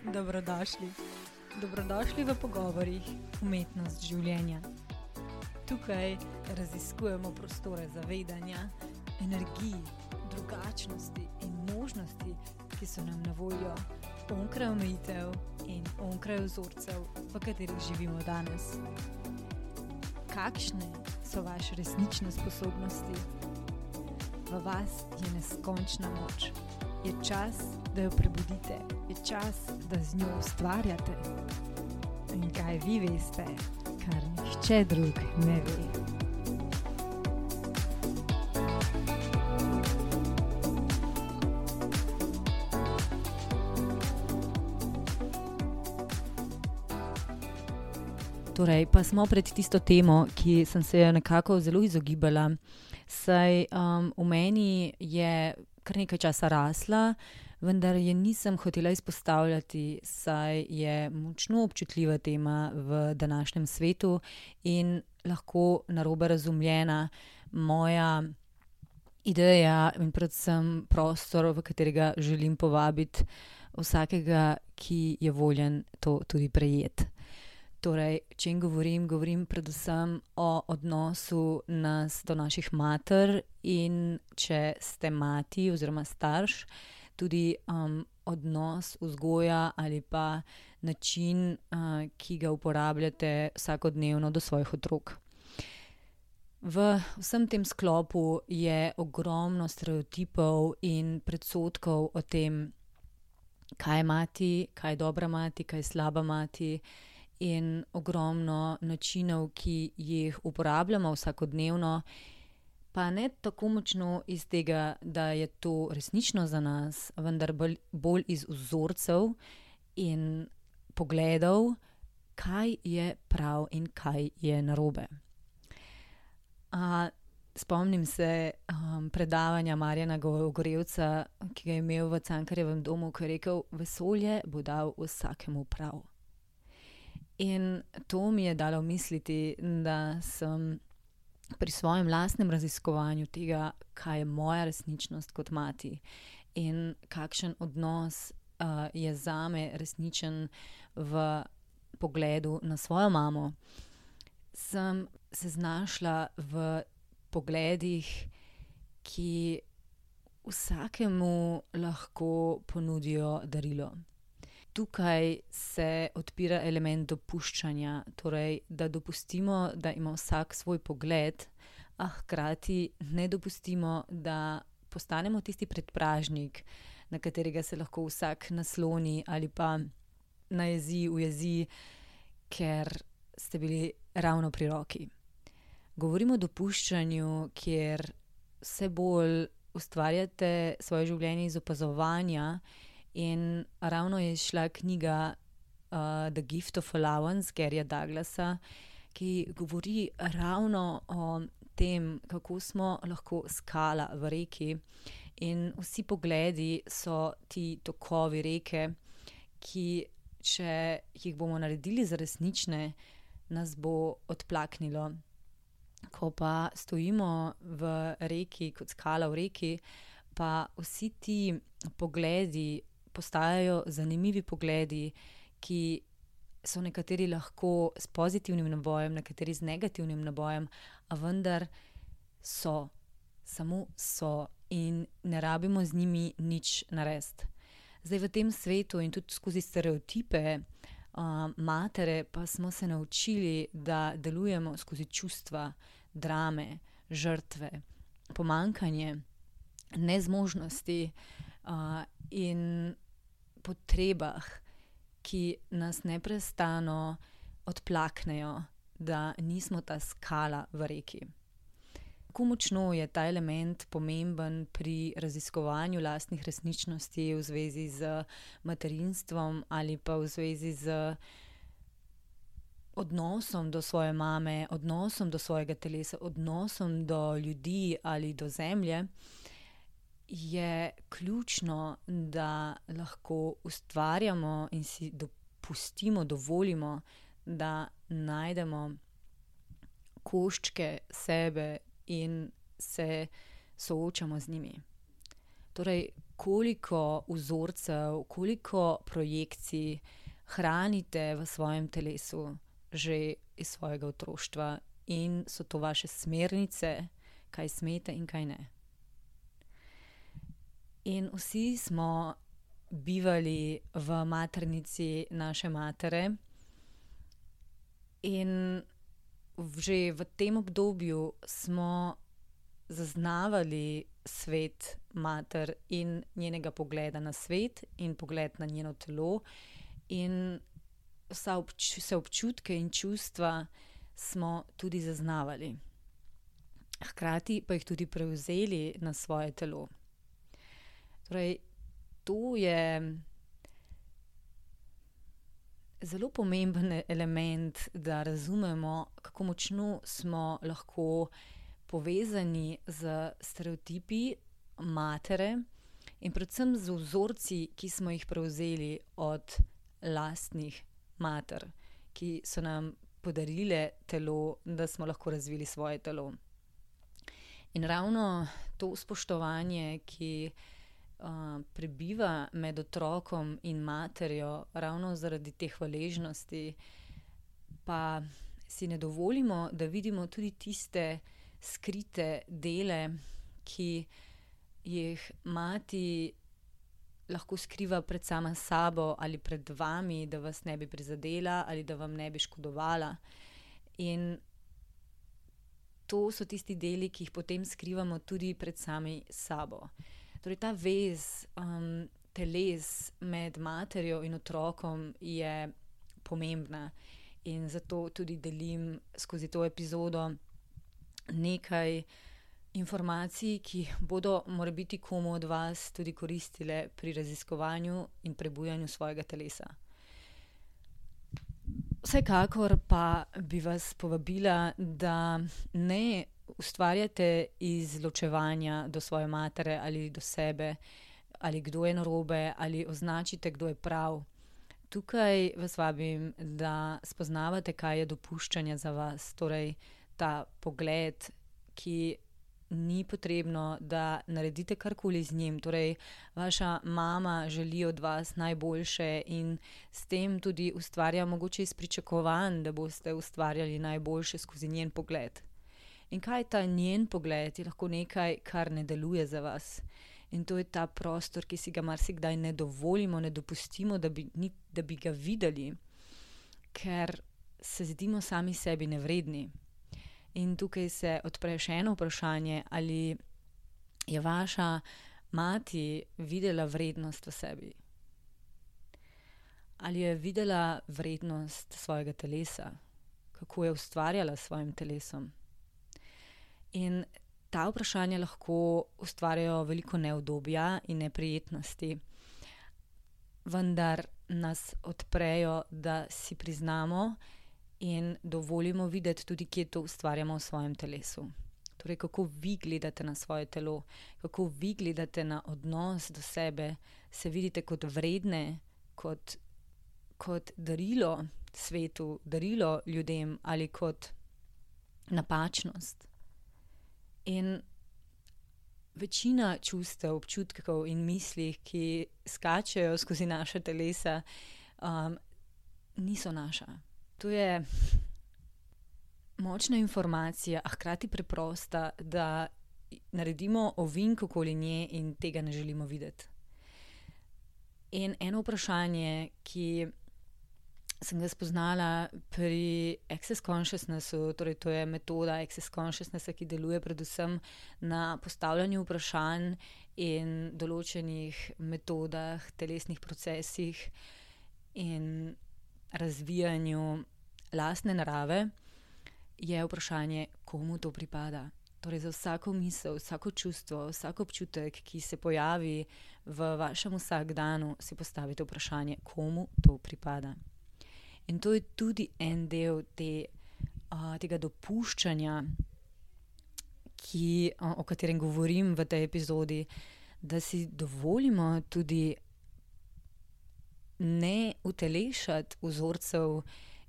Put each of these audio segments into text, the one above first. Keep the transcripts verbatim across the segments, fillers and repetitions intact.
Dobrodošli. Dobrodošli v pogovorih Umetnost življenja. Tukaj raziskujemo prostore zavedanja, energij, drugačnosti in možnosti, ki so nam na voljo onkraj omejitev in onkraj vzorcev, v katerih živimo danes. Kakšne so vaše resnične sposobnosti? V vas je neskončna moč. Je čas, da jo prebudite. Je čas, da z njo ustvarjate. In kaj vi veste, kar nihče drug ne ve. Torej, pa smo pred tisto temo, ki sem se jo nekako zelo izogibala, saj um, v meni je kar nekaj časa rasla, vendar je nisem hotela izpostavljati, saj je močno občutljiva tema v današnjem svetu in lahko narobe razumljena. Moja ideja in predvsem prostor, v katerega želim povabiti vsakega, ki je voljen to tudi prejeti. Torej, če jim govorim, govorim predvsem o odnosu nas do naših mater in če ste mati oziroma starš, tudi um, odnos, vzgoja ali pa način, uh, ki ga uporabljate vsakodnevno do svojih otrok. V vsem tem sklopu je ogromno stereotipov in predsodkov o tem, kaj je mati, kaj je dobra mati, kaj je slaba mati, in ogromno načinov, ki jih uporabljamo vsakodnevno, pa ne tako močno iz tega, da je to resnično za nas, vendar bolj, bolj iz vzorcev in pogledov, kaj je prav in kaj je narobe. A, spomnim se um, predavanja Marjana Gorevca, ki ga je imel v Cankarjevem domu, ko je rekel: vesolje bo dal vsakemu prav. In to mi je dalo misliti, da sem pri svojem lastnem raziskovanju tega, kaj je moja resničnost kot mati in kakšen odnos uh, je zame resničen v pogledu na svojo mamo, sem se znašla v pogledih, ki vsakemu lahko ponudijo darilo. Tukaj se odpira element dopuščanja, torej, da dopustimo, da ima vsak svoj pogled, a hkrati ne dopustimo, da postanemo tisti predpražnik, na katerega se lahko vsak nasloni ali pa najezi, ujezi, ker ste bili ravno pri roki. Govorimo o dopuščanju, kjer vse bolj ustvarjate svoje življenje iz opazovanja. In ravno je šla knjiga uh, The Gift of Allowance Garyja Douglasa, ki govori ravno o tem, kako smo lahko skala v reki. In vsi pogledi so ti tokovi reke, ki, če jih bomo naredili za resnične, nas bo odplaknilo. Ko pa stojimo v reki, kot skala v reki, pa vsi ti pogledi postajajo zanimivi pogledi, ki so nekateri lahko s pozitivnim nabojem, nekateri z negativnim nabojem, a vendar so, samo so in ne rabimo z njimi nič narediti. Zdaj v tem svetu in tudi skozi stereotipe uh, matere pa smo se naučili, da delujemo skozi čustva, drame, žrtve, pomanjkanje, nezmožnosti uh, in potrebah, ki nas neprestano odplaknejo, da nismo ta skala v reki. Kako močno je ta element pomemben pri raziskovanju lastnih resničnosti v zvezi z materinstvom ali pa v zvezi z odnosom do svoje mame, odnosom do svojega telesa, odnosom do ljudi ali do zemlje, je ključno, da lahko ustvarjamo in si dopustimo, dovolimo, da najdemo koščke sebe in se soočamo z njimi. Torej, koliko vzorcev, koliko projekcij hranite v svojem telesu že iz svojega otroštva in so to vaše smernice, kaj smete in kaj ne. In vsi smo bivali v maternici naše matere in že v tem obdobju smo zaznavali svet mater in njenega pogleda na svet in pogled na njeno telo in vsa obč- vse občutke in čustva smo tudi zaznavali. Hkrati pa jih tudi prevzeli na svoje telo. Torej, to je zelo pomemben element, da razumemo, kako močno smo lahko povezani z stereotipi matere in predvsem z vzorci, ki smo jih prevzeli od lastnih mater, ki so nam podarile telo, da smo lahko razvili svoje telo. In ravno to spoštovanje, ki uh, prebiva med otrokom in materjo, ravno zaradi te hvaležnosti, pa si ne dovolimo, da vidimo tudi tiste skrite dele, ki jih mati lahko skriva pred sama sabo ali pred vami, da vas ne bi prizadela ali da vam ne bi škodovala. In to so tisti deli, ki jih potem skrivamo tudi pred sami sabo. Torej, ta vez um, teles med materjo in otrokom je pomembna in zato tudi delim skozi to epizodo nekaj informacij, ki bodo morebiti komu od vas tudi koristile pri raziskovanju in prebujanju svojega telesa. Vsekakor pa bi vas povabila, da ne ustvarjate izločevanja do svoje matere ali do sebe, ali kdo je narobe, ali označite, kdo je prav. Tukaj vas vabim, da spoznavate, kaj je dopuščanje za vas, torej ta pogled, ki ni potrebno, da naredite karkoli z njim. Torej, vaša mama želi od vas najboljše in s tem tudi ustvarja mogoče iz pričakovanj, da boste ustvarjali najboljše skozi njen pogled. In kaj je ta njen pogled? Je lahko nekaj, kar ne deluje za vas. In to je ta prostor, ki si ga marsikdaj ne dovolimo, ne dopustimo, da bi, ni, da bi ga videli, ker se zdimo sami sebi nevredni. In tukaj se odpre še eno vprašanje, ali je vaša mati videla vrednost v sebi? Ali je videla vrednost svojega telesa? Kako je ustvarjala s svojim telesom? In ta vprašanja lahko ustvarjajo veliko neudobja in neprijetnosti, vendar nas odprejo, da si priznamo in dovolimo videti tudi, kje to ustvarjamo v svojem telesu. Torej, kako vi gledate na svoje telo, kako vi gledate na odnos do sebe, se vidite kot vredne, kot, kot darilo svetu, darilo ljudem ali kot napačnost. In večina čustev, občutkov in mislih, ki skačejo skozi naša telesa, um, niso naša. To je močna informacija, a hkrati preprosta, da naredimo ovink okoli nje in tega ne želimo videti. In eno vprašanje, ki sem ga spoznala pri Access Consciousnessu, torej to je metoda Access Consciousnessa, ki deluje predvsem na postavljanju vprašanj in določenih metodah, telesnih procesih in razvijanju lastne narave, je vprašanje, komu to pripada. Torej za vsako misel, vsako čustvo, vsak občutek, ki se pojavi v vašem vsakdanu, si postavite vprašanje, komu to pripada. In to je tudi en del te, uh, tega dopuščanja, ki, uh, o katerem govorim v tej epizodi, da si dovolimo tudi ne utelešati vzorcev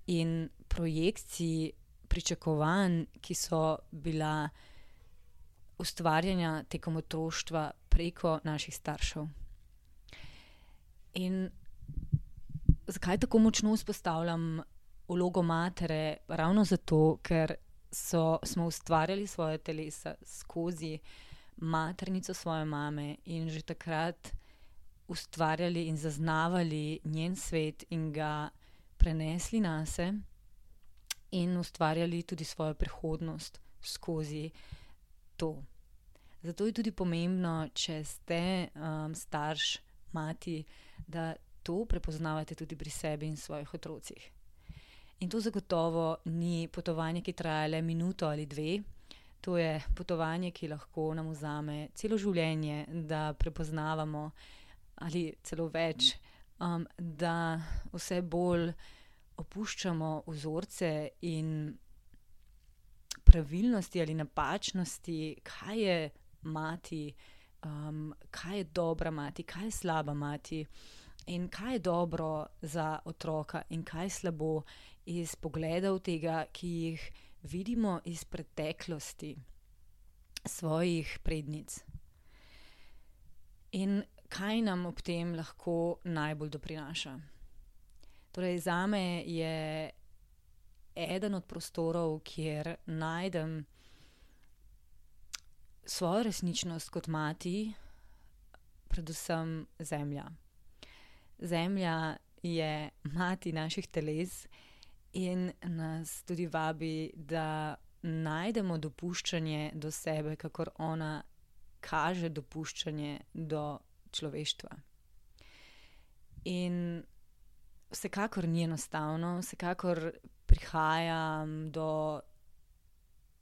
in projekcij, pričakovanj, ki so bila ustvarjena tekom otroštva preko naših staršev. In zakaj tako močno vzpostavljam vlogo matere? Ravno zato, ker so, smo ustvarjali svoje telesa skozi maternico svoje mame in že takrat ustvarjali in zaznavali njen svet in ga prenesli nase in ustvarjali tudi svojo prihodnost skozi to. Zato je tudi pomembno, če ste um, starš, mati, da to prepoznavate tudi pri sebi in svojih otrocih. In to zagotovo ni potovanje, ki traja le minuto ali dve. To je potovanje, ki lahko nam vzame celo življenje, da prepoznavamo ali celo več, um, da vse bolj opuščamo vzorce in pravilnosti ali napačnosti, kaj je mati, um, kaj je dobra mati, kaj je slaba mati in kaj je dobro za otroka in kaj je slabo iz pogledov tega, ki jih vidimo iz preteklosti svojih prednic. In kaj nam ob tem lahko najbolj doprinaša? Torej, zame je eden od prostorov, kjer najdem svojo resničnost kot mati, predvsem zemlja. Zemlja je mati naših teles in nas tudi vabi, da najdemo dopuščanje do sebe, kakor ona kaže dopuščanje do človeštva. In vsekakor ni enostavno, vsekakor prihajam do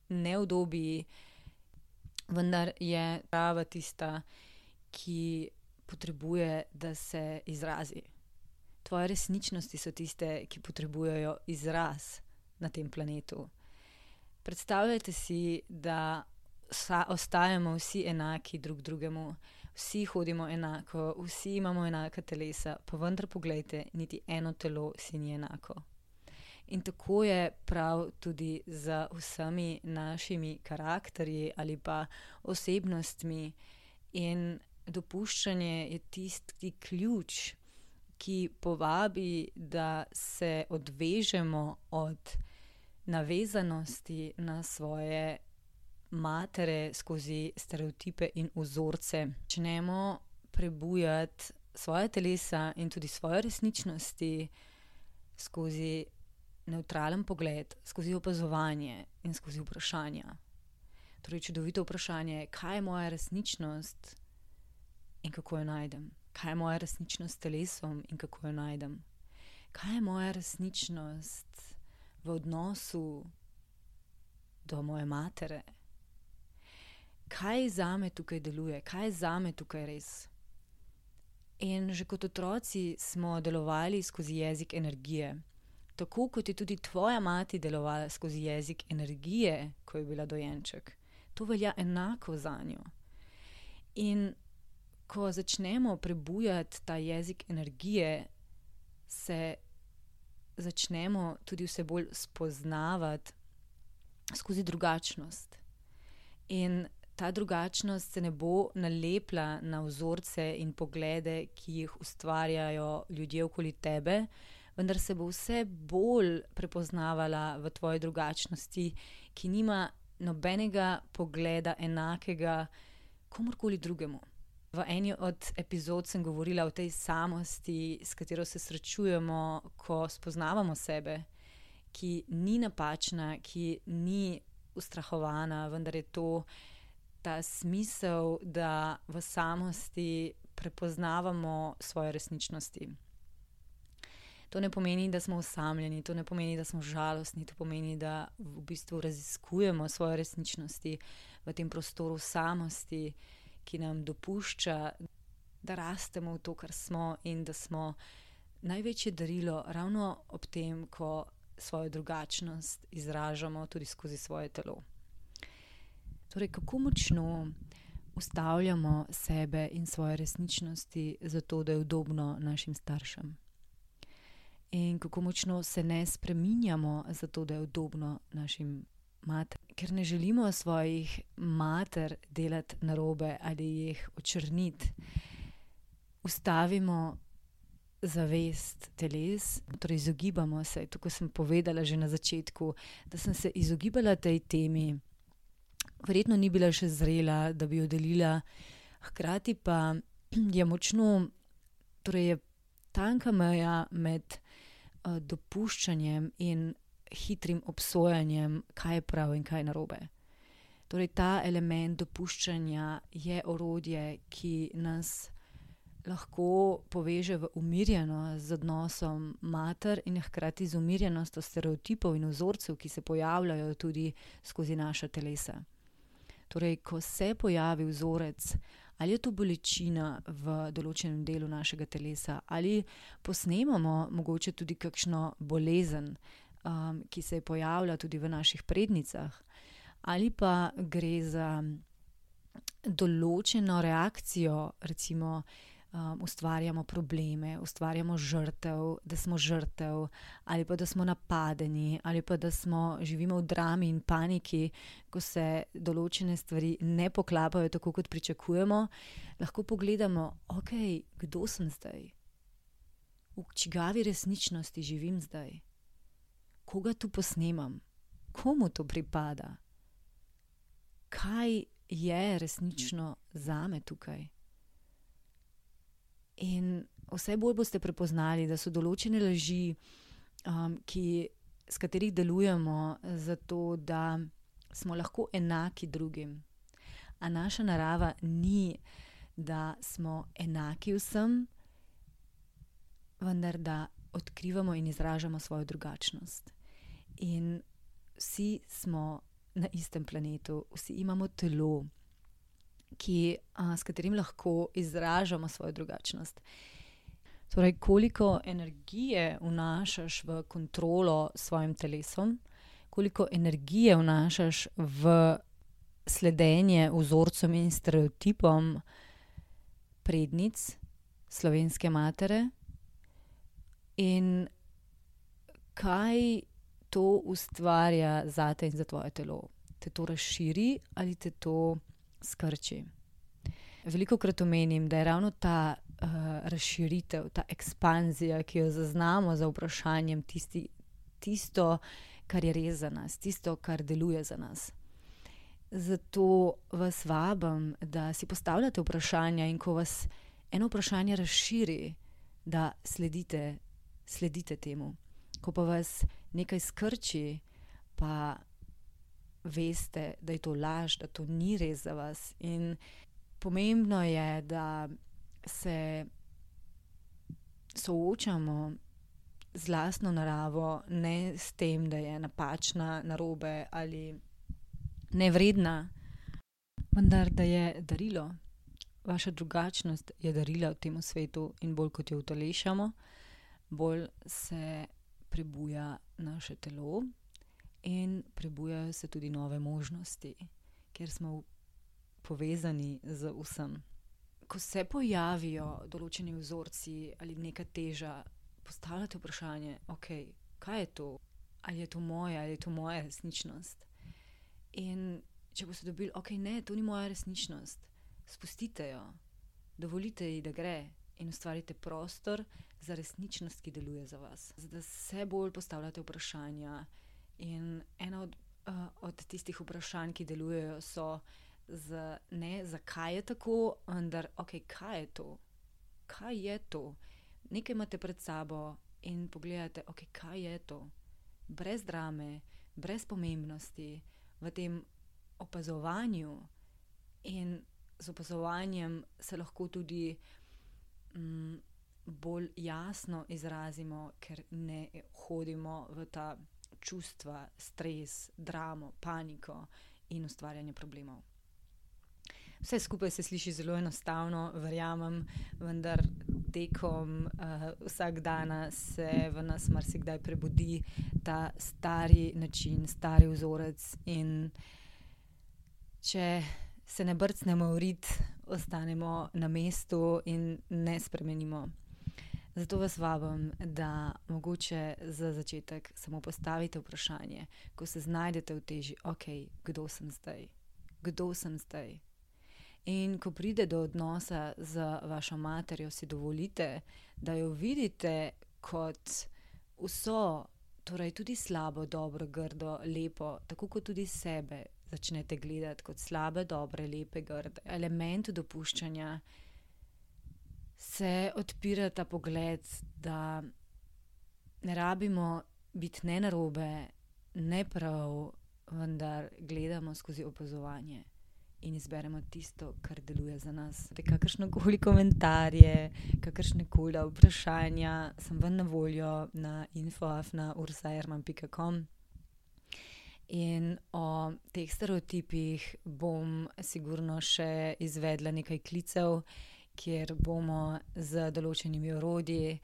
neudobij, vendar je prava tista, ki potrebuje, da se izrazi. Tvoje resničnosti so tiste, ki potrebujejo izraz na tem planetu. Predstavljajte si, da sa, ostajamo vsi enaki drug drugemu, vsi hodimo enako, vsi imamo enaka telesa, pa vendar poglejte, niti eno telo si ni enako. In tako je prav tudi z vsemi našimi karakterji ali pa osebnostmi. In dopuščanje je tisti ključ, ki povabi, da se odvežemo od navezanosti na svoje matere skozi stereotipe in vzorce. Začnemo prebujati svoje telesa in tudi svoje resničnosti skozi nevtralen pogled, skozi opazovanje in skozi vprašanja. Torej, čudovito vprašanje, kaj je moja resničnost in kako jo najdem? Kaj je moja resničnost s telesom in kako jo najdem? Kaj je moja resničnost v odnosu do moje matere? Kaj zame tukaj deluje? Kaj je zame tukaj res? In že kot otroci smo delovali skozi jezik energije. Tako kot je tudi tvoja mati delovala skozi jezik energije, ko je bila dojenček. To velja enako zanjo. In ko začnemo prebujati ta jezik energije, se začnemo tudi vse bolj spoznavati skozi drugačnost. In ta drugačnost se ne bo nalepla na vzorce in poglede, ki jih ustvarjajo ljudje okoli tebe, vendar se bo vse bolj prepoznavala v tvoji drugačnosti, ki nima nobenega pogleda enakega komurkoli drugemu. V eni od epizod sem govorila o tej samosti, s katero se srečujemo, ko spoznavamo sebe, ki ni napačna, ki ni ustrahovana, vendar je to ta smisel, da v samosti prepoznavamo svoje resničnosti. To ne pomeni, da smo osamljeni, to ne pomeni, da smo žalostni, to pomeni, da v bistvu raziskujemo svoje resničnosti v tem prostoru samosti, ki nam dopušča, da rastemo v to, kar smo in da smo največje darilo ravno ob tem, ko svojo drugačnost izražamo tudi skozi svoje telo. Torej, kako močno ustavljamo sebe in svoje resničnosti zato, da je udobno našim staršem. In kako močno se ne spreminjamo zato, da je udobno našim mater. Ker ne želimo svojih mater delati narobe ali jih očrniti. Ustavimo zavest teles, torej izogibamo se, tako sem povedala že na začetku, da sem se izogibala tej temi. Verjetno ni bila še zrela, da bi jo delila, hkrati pa je močno, torej je tanka meja med uh, dopuščanjem in hitrim obsojanjem, kaj je prav in kaj je narobe. Torej ta element dopuščanja je orodje, ki nas lahko poveže v umirjenost z odnosom mater in hkrati z umirjenostjo stereotipov in vzorcev, ki se pojavljajo tudi skozi naša telesa. Torej, ko se pojavi vzorec, ali je to bolečina v določenem delu našega telesa, ali posnemamo mogoče tudi kakšno bolezen, um, ki se pojavlja tudi v naših prednicah, ali pa gre za določeno reakcijo, recimo um, ustvarjamo probleme, ustvarjamo žrtev, da smo žrtev, ali pa da smo napadeni, ali pa da smo, živimo v drami in paniki, ko se določene stvari ne poklapajo tako, kot pričakujemo, lahko pogledamo, ok, kdo sem zdaj? V čigavi resničnosti živim zdaj? Koga tu posnemam? Komu to pripada? Kaj je resnično zame tukaj? In vse bolj boste prepoznali, da so določene laži, um, ki, s katerih delujemo, zato da smo lahko enaki drugim. A naša narava ni, da smo enaki vsem, vendar da odkrivamo in izražamo svojo drugačnost. In vsi smo na istem planetu, vsi imamo telo, ki, a, s katerim lahko izražamo svojo drugačnost. Torej, koliko energije vnašaš v kontrolo s svojim telesom, koliko energije vnašaš v sledenje vzorcem in stereotipom prednic slovenske matere in kaj to ustvarja zate in za tvoje telo. Te to razširi ali te to skrči. Velikokrat omenim, da je ravno ta uh, razširitev, ta ekspanzija, ki jo zaznamo za vprašanjem, tisti, tisto, kar je res za nas, tisto, kar deluje za nas. Zato vas vabim, da si postavljate vprašanja in ko vas eno vprašanje razširi, da sledite, sledite temu. Ko pa vas nekaj skrči, pa veste, da je to laž, da to ni res za vas. In pomembno je, da se soočamo z lastno naravo, ne s tem, da je napačna, narobe ali nevredna, vendar da je darilo. Vaša drugačnost je darila v tem svetu in bolj kot jo utelešamo, bolj se prebuja naše telo in prebujajo se tudi nove možnosti, ker smo povezani z vsem. Ko se pojavijo določeni vzorci ali neka teža, postavljate vprašanje, ok, kaj je to? Ali je to moja, ali je to moja resničnost? In če boste dobili, ok, ne, to ni moja resničnost, spustite jo, dovolite ji, da gre in ustvarite prostor za resničnost, ki deluje za vas. Da se bolj postavljate vprašanja in ena od, uh, od tistih vprašanj, ki delujejo, so z, ne, zakaj je tako, vendar, ok, kaj je to? Kaj je to? Nekaj imate pred sabo in pogledate, ok, kaj je to? Brez drame, brez pomembnosti, v tem opazovanju in z opazovanjem se lahko tudi mm, bolj jasno izrazimo, ker ne hodimo v ta čustva, stres, dramo, paniko in ustvarjanje problemov. Vse skupaj se sliši zelo enostavno, verjamem, vendar tekom uh, vsak dana se v nas marsikdaj prebudi ta stari način, stari vzorec in če se ne brcnemo v rit, ostanemo na mestu in ne spremenimo. Zato vas vabim, da mogoče za začetek samo postavite vprašanje, ko se znajdete v teži, ok, kdo sem zdaj? Kdo sem zdaj? In ko pride do odnosa z vašo materjo, si dovolite, da jo vidite kot vso, torej tudi slabo, dobro, grdo, lepo, tako kot tudi sebe začnete gledati kot slabe, dobre, lepe, grde. Elementu dopuščanja se odpira ta pogled, da ne rabimo biti ne narobe, ne prav, vendar gledamo skozi opazovanje in izberemo tisto, kar deluje za nas. Kakršnokoli komentarje, kakršnekoli vprašanja, sem vam na voljo na info afna ursa erman pika com. In o teh stereotipih bom sigurno še izvedla nekaj klicev, kjer bomo z določenimi orodji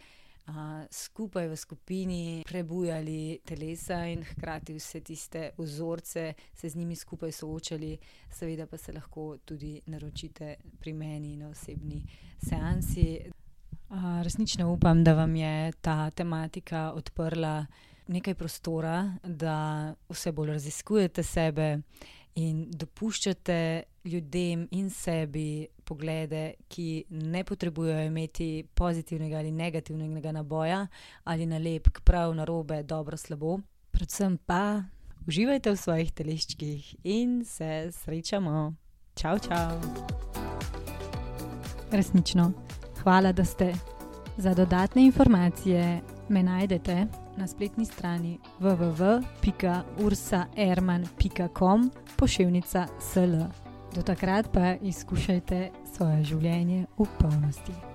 Uh, skupaj v skupini prebujali telesa in hkrati vse tiste vzorce se z njimi skupaj soočali. Seveda pa se lahko tudi naročite pri meni na osebni seansi. Uh, resnično upam, da vam je ta tematika odprla nekaj prostora, da vse bolj raziskujete sebe in dopuščate ljudem in sebi poglede, ki ne potrebujejo imeti pozitivnega ali negativnega naboja ali nalepk, prav, narobe, dobro, slabo. Predvsem pa uživajte v svojih teleščkih in se srečamo. Čau, čau. Resnično, hvala, da ste. Za dodatne informacije me najdete na spletni strani w w w pika ursa erman pika com poševnica sl. Do takrat pa izkušajte svoje življenje v polnosti.